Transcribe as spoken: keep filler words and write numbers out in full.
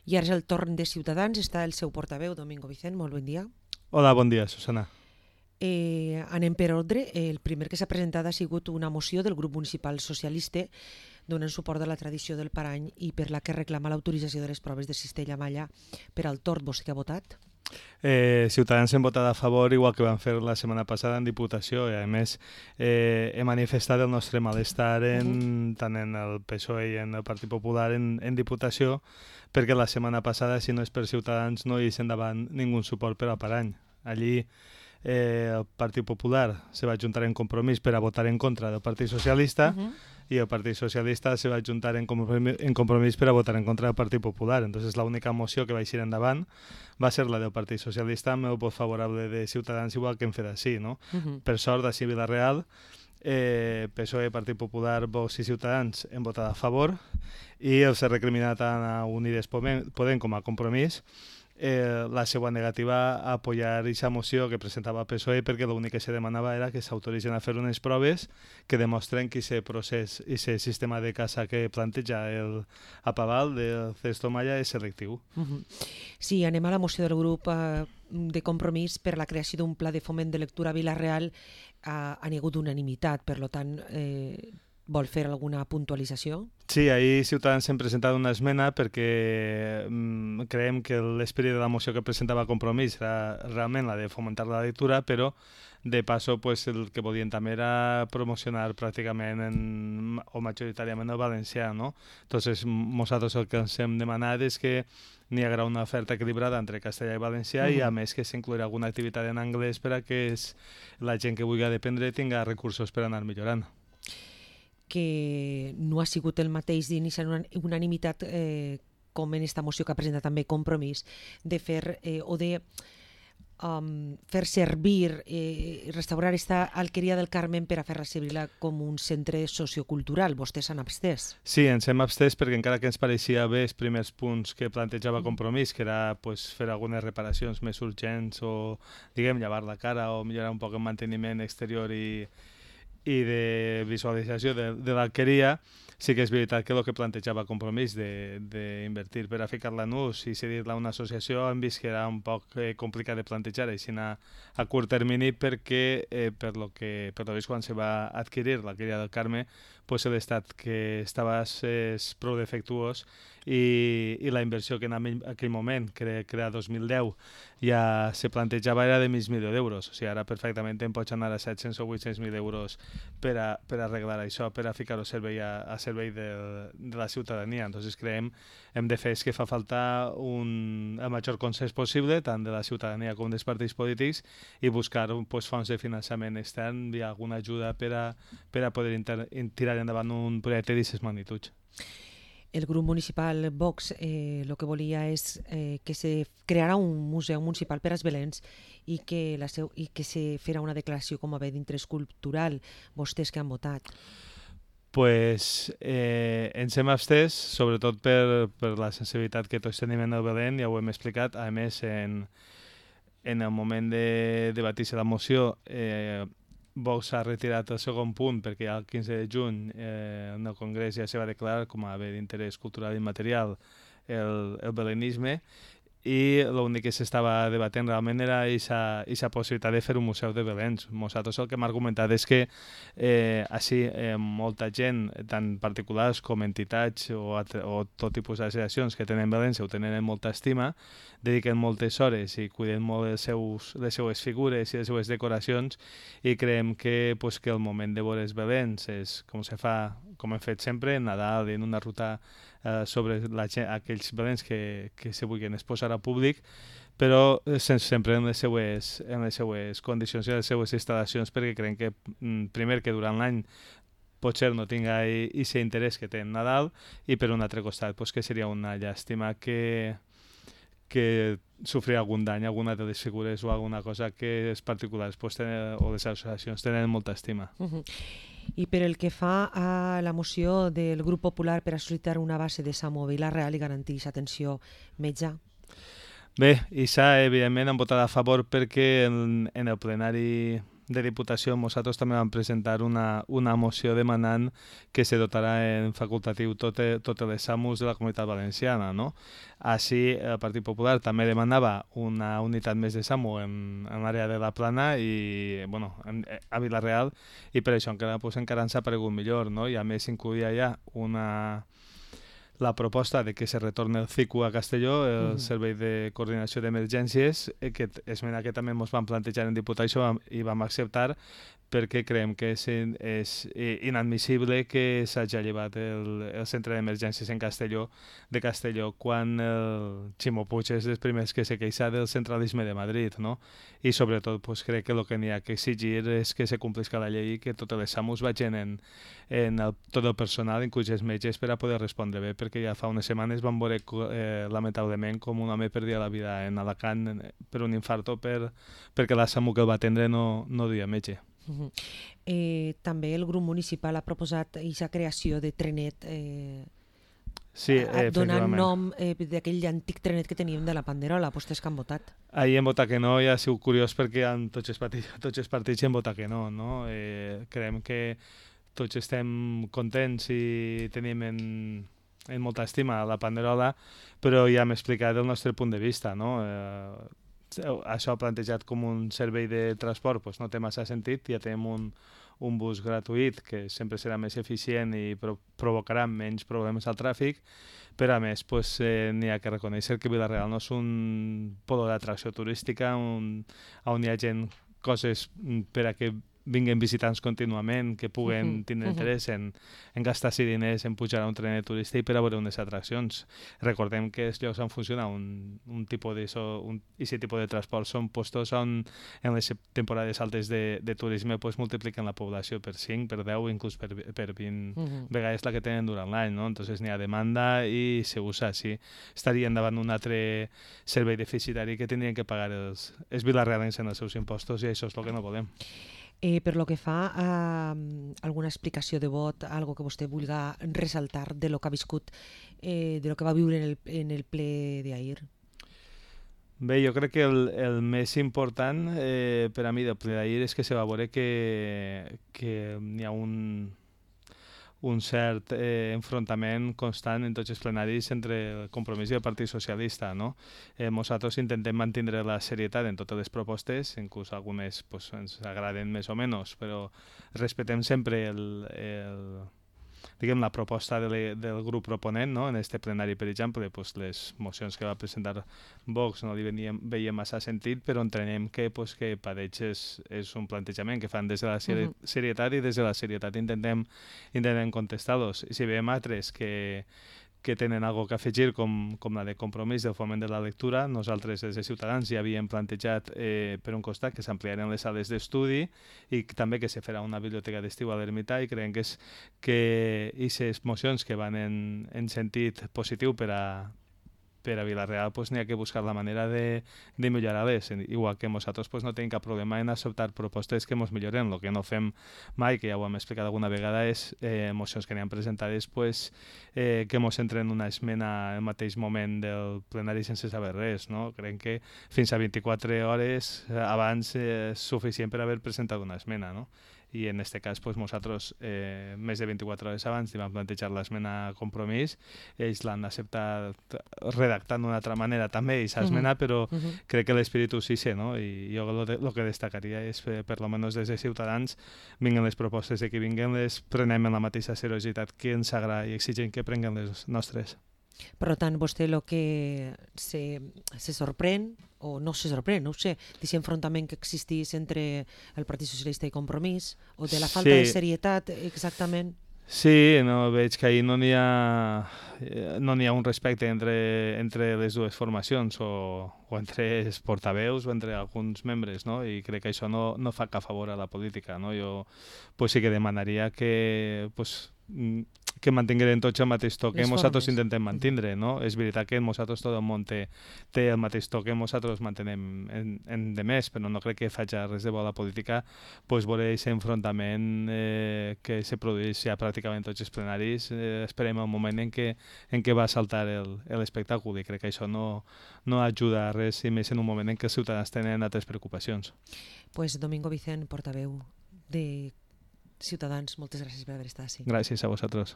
I ara és el torn de Ciutadans, està el seu portaveu, Domingo Vicent, molt bon dia. Hola, bon dia, Susana. Eh, anem per ordre. El primer que s'ha presentat ha sigut una moció del grup municipal socialista donant suport a la tradició del Parany i per la que reclama l'autorització de les proves de Cistella-Malla per al tord. Vostè que ha votat? Eh, Ciutadans hem votat a favor, igual que vam fer la setmana passada en Diputació, i a més eh, he manifestat el nostre malestar en, uh-huh. tant en el P S O E i en el Partit Popular en, en Diputació, perquè la setmana passada, si no és per Ciutadans, no hi és endavant ningú suport per al Parany. Allí eh, el Partit Popular se va juntar en Compromís per a votar en contra del Partit Socialista, uh-huh. i el Partit Socialista se va juntar en compromís, en compromís per a votar en contra del Partit Popular. Entonces l'única moció que va eixir endavant va ser la del Partit Socialista amb el vot favorable de Ciutadans, igual que hem fet així, no? Uh-huh. Per sort, així a Vila-real, eh, P S O E, Partit Popular, Vox i Ciutadans hem votat a favor i els ha recriminat tant a Unides Podem com a Compromís Eh, la seva negativa a apoyar aquesta moció que presentava el P S O E, perquè l'únic que se demanava era que s'autoritzen a fer unes proves que demostren que aquest procés i aquest sistema de caça que planteja el Apaval del Cistella-Malla és selectiu. Uh-huh. Sí, anem a la moció del grup eh, de Compromís per la creació d'un pla de foment de lectura a Vila-real. Eh, ha hagut unanimitat, per tant, eh, vol fer alguna puntualització? Sí, ahir Ciutadans hem presentat una esmena perquè mm, creiem que l'esperit de la moció que presentava Compromís era realment la de fomentar la lectura, però de passo pues, el que volien també era promocionar pràcticament en, o majoritàriament el valencià, no? Entonces, nosaltres el que ens hem demanat és que n'hi haurà una oferta equilibrada entre castellà i valencià uh-huh. i a més que s'inclourà alguna activitat en anglès per a que es, la gent que vulgui aprendre tinga recursos per anar millorant. Que no ha sigut el mateix d'iniciar una unanimitat eh, com en esta moció que ha presentat també Compromís, de fer eh, o de um, fer servir i eh, restaurar esta alqueria del Carmen per a fer-la servir com un centre sociocultural. Vostès s'han abstès? Sí, ens hem abstès perquè encara que ens pareixia bé els primers punts que plantejava Compromís, que era pues, fer algunes reparacions més urgents o, diguem, llevar la cara o millorar un poc el manteniment exterior i i de visualització de, de l'alqueria, sí que és veritat que el que plantejava Compromís d'invertir per a ficar-la en ús i cedir-la a una associació hem vist que era un poc eh, complicat de plantejar així a, a curt termini perquè eh, per lo que per lo vist quan se va adquirir l'alqueria del Carme pues l'estat que estava és prou defectuós i, i la inversió que en aquell moment, que era dos mil deu, ja se plantejava era de mig milió d'euros. O sigui, ara perfectament em pots anar a set-cents o vuit-cents mil euros per a, per a arreglar això, per a ficar-ho a servei, a, a servei de, de la ciutadania. Entonces creiem hem de fer és que fa falta un, el major consens possible, tant de la ciutadania com dels partits polítics, i buscar pues, fonts de finançament extern i alguna ajuda per a, per a poder inter, tirar endavant un projecte d'aquestes magnituds. El grup municipal Vox eh, el que volia és eh, que se crearà un museu municipal per als Belens i que, la seu, i que se farà una declaració com a bé d'interès cultural. Vostès que han votat? Pues eh, ens hem abstès, sobretot per, per la sensibilitat que tots tenim en el Belén, ja ho hem explicat. A més, en, en el moment de debatir-se la moció, eh, Vox ha retirat el segon punt perquè el quinze de juny eh, en el Congrés ja se va declarar com a bé d'interès cultural i material el, el belenisme i l'únic que s'estava debatent realment era aquesta possibilitat de fer un museu de Belens. Nosaltres el que hem argumentat és que eh, així eh, molta gent, tant particulars com entitats o, o tot tipus d'associacions que tenen Belens ho tenen en molta estima, dediquen moltes hores i cuiden molt els seus, les seues figures i les seues decoracions i creiem que, pues, que el moment de veure els Belens és com se fa, com hem fet sempre, en Nadal, en una ruta eh, sobre la, aquells Belens que, que se vulguin exposar a públic, però sempre en les seues, en les seues condicions i les seues instal·lacions, perquè creiem que, primer, que durant l'any potser no tinga aquest interès que té en Nadal, i per un altre costat pues, que seria una llàstima que, que sofrir algun dany, alguna de les figures o alguna cosa que els particulars pues, tenen, o les associacions tenen molta estima. Uh-huh. I per el que fa a la moció del grup popular per a sol·licitar una base de SAMU a Vila-real i garantir l'atenció metge? Bé, i s'ha, evidentment, han votat a favor perquè en, en el plenari de Diputació nosaltres també vam presentar una, una moció demanant que se dotarà en facultatiu totes tot les SAMUs de la Comunitat Valenciana, no? Així, el Partit Popular també demanava una unitat més de SAMU en, en l'àrea de la Plana i, bueno, en, a Vila-real, i per això encara, pues, encara ens ha paregut millor, no? I a més incluïa ja una... la proposta de que se retorni el C I C U a Castelló, el mm. Servei de Coordinació d'Emergències, que esmena que també ens vam plantejar en Diputació i vam acceptar, perquè creiem que és, és inadmissible que s'hagi llevat el, el centre d'emergències en Castelló de Castelló quan el Ximo Puig és dels primers que se queixa del centralisme de Madrid, no? I sobretot pues, crec que el que n'hi ha que exigir és que se complisca la llei i que totes les SAMUs vagin en, en el, tot el personal, inclús els metges, per a poder respondre bé, perquè ja fa unes setmanes vam veure eh, lamentablement com un home perdia la vida en Alacant per un infarto per, perquè la SAMU que el va atendre no, no duia metge. Uh-huh. eh, també el grup municipal ha proposat aquesta creació de trenet eh, sí, eh, donant nom eh, d'aquell antic trenet que teníem de la Panderola. Vostès que han votat? Ahir hem votat que no i ha sigut curiós perquè en tots els partits, tots els partits hem votat que no, no? Eh, creiem que tots estem contents i tenim en, en molta estima la Panderola, però ja hem explicat el nostre punt de vista, no? Eh, això plantejat com un servei de transport pues no té massa sentit, ja tenim un, un bus gratuït que sempre serà més eficient i pro provocarà menys problemes al tràfic, però a més pues, eh, n'hi ha que reconèixer que Vila-real no és un polo d'atracció turística on, on hi ha gent, coses per a que vinguen visitants contínuament, que puguen uh -huh, tindre uh -huh. interès en, en gastar-se diners en pujar a un trenet turístic per a veure unes atraccions. Recordem que els llocs on funciona un, un tipus de so, un, ese tipus de transport són postos on en les temporades altes de, de turisme pues, multipliquen la població per cinc, per deu, inclús per, per vint uh -huh. vegades la que tenen durant l'any, no? Entonces n'hi ha demanda i se usa així. Estarien davant un altre servei deficitari que tindrien que pagar els, els vilarrealens en els seus impostos i això és el que no volem. Eh, per lo que fa a um, alguna explicació de vot, algo que vostè vulgui ressaltar de lo que ha viscut, eh, de lo que va viure en el, en el ple d'ahir? Bé, jo crec que el, el més important eh, per a mi del ple d'ahir és que se va veure que, que hi ha un, un cert eh, enfrontament constant en tots els plenaris entre el Compromís i el Partit Socialista, no? Eh, nosaltres intentem mantenir la serietat en totes les propostes, inclús algunes pues, ens agraden més o menys, però respectem sempre el, el, diguem, la proposta de le, del grup proponent, no? En este plenari, per exemple, pues, les mocions que va presentar Vox no li veníem, veiem massa sentit, però entenem que, pues, que Padeix és, és un plantejament que fan des de la seri uh -huh. serietat i des de la serietat intentem, intentem contestar-los. I si veiem altres que que tenen algo que afegir, com, com la de Compromís del foment de la lectura, nosaltres des de Ciutadans ja havíem plantejat eh, per un costat que s'ampliaren les sales d'estudi i també que se farà una biblioteca d'estiu a l'Ermità, i creiem que és que aquestes mocions que van en, en sentit positiu per a per a Vila-real pues, n'hi ha que buscar la manera de, de millorar-les, igual que nosaltres pues, no tenim cap problema en acceptar propostes que ens milloren. El que no fem mai, que ja ho hem explicat alguna vegada, és eh, mocions que n'hi han presentades pues, eh, que ens entren en una esmena al mateix moment del plenari sense saber res, no? Creiem que fins a vint-i-quatre hores abans eh, és suficient per haver presentat una esmena, no? I en aquest cas pues, nosaltres eh, més de vint-i-quatre hores abans li vam plantejar l'esmena Compromís, ells l'han acceptat redactant d'una altra manera també aquesta esmena, uh -huh. però uh -huh. crec que l'espíritu sí sé, no? I jo el de, que destacaria és que per almenys des de Ciutadans vinguen les propostes de que vinguen, les prenem en la mateixa seriositat que ens agrada i exigim que prenguen les nostres. Per tant, vostè el que se, se sorprèn, o no se sorprèn, no ho sé, d'aquest enfrontament que existís entre el Partit Socialista i Compromís, o de la falta sí. de serietat, exactament? Sí, no, veig que ahir no n'hi ha, no n'hi ha un respecte entre, entre les dues formacions, o, o entre els portaveus o entre alguns membres, no? I crec que això no, no fa cap favor a la política, no? Jo pues, sí que demanaria que... Pues, que mantingueren tots el mateix to que Les nosaltres formes. intentem mantenir, no? És veritat que nosaltres tot el món té, té el mateix to que nosaltres mantenem en, en de més, però no crec que faci res de bo a la política pues, veure aquest enfrontament eh, que se produeix ja pràcticament tots els plenaris. Eh, esperem el moment en què, en què va saltar l'espectacle i crec que això no, no ajuda a res, i més en un moment en què els ciutadans tenen altres preocupacions. Pues Domingo Vicent, portaveu de Ciutadans, moltes gràcies per haver estat així. Gràcies a vosaltres.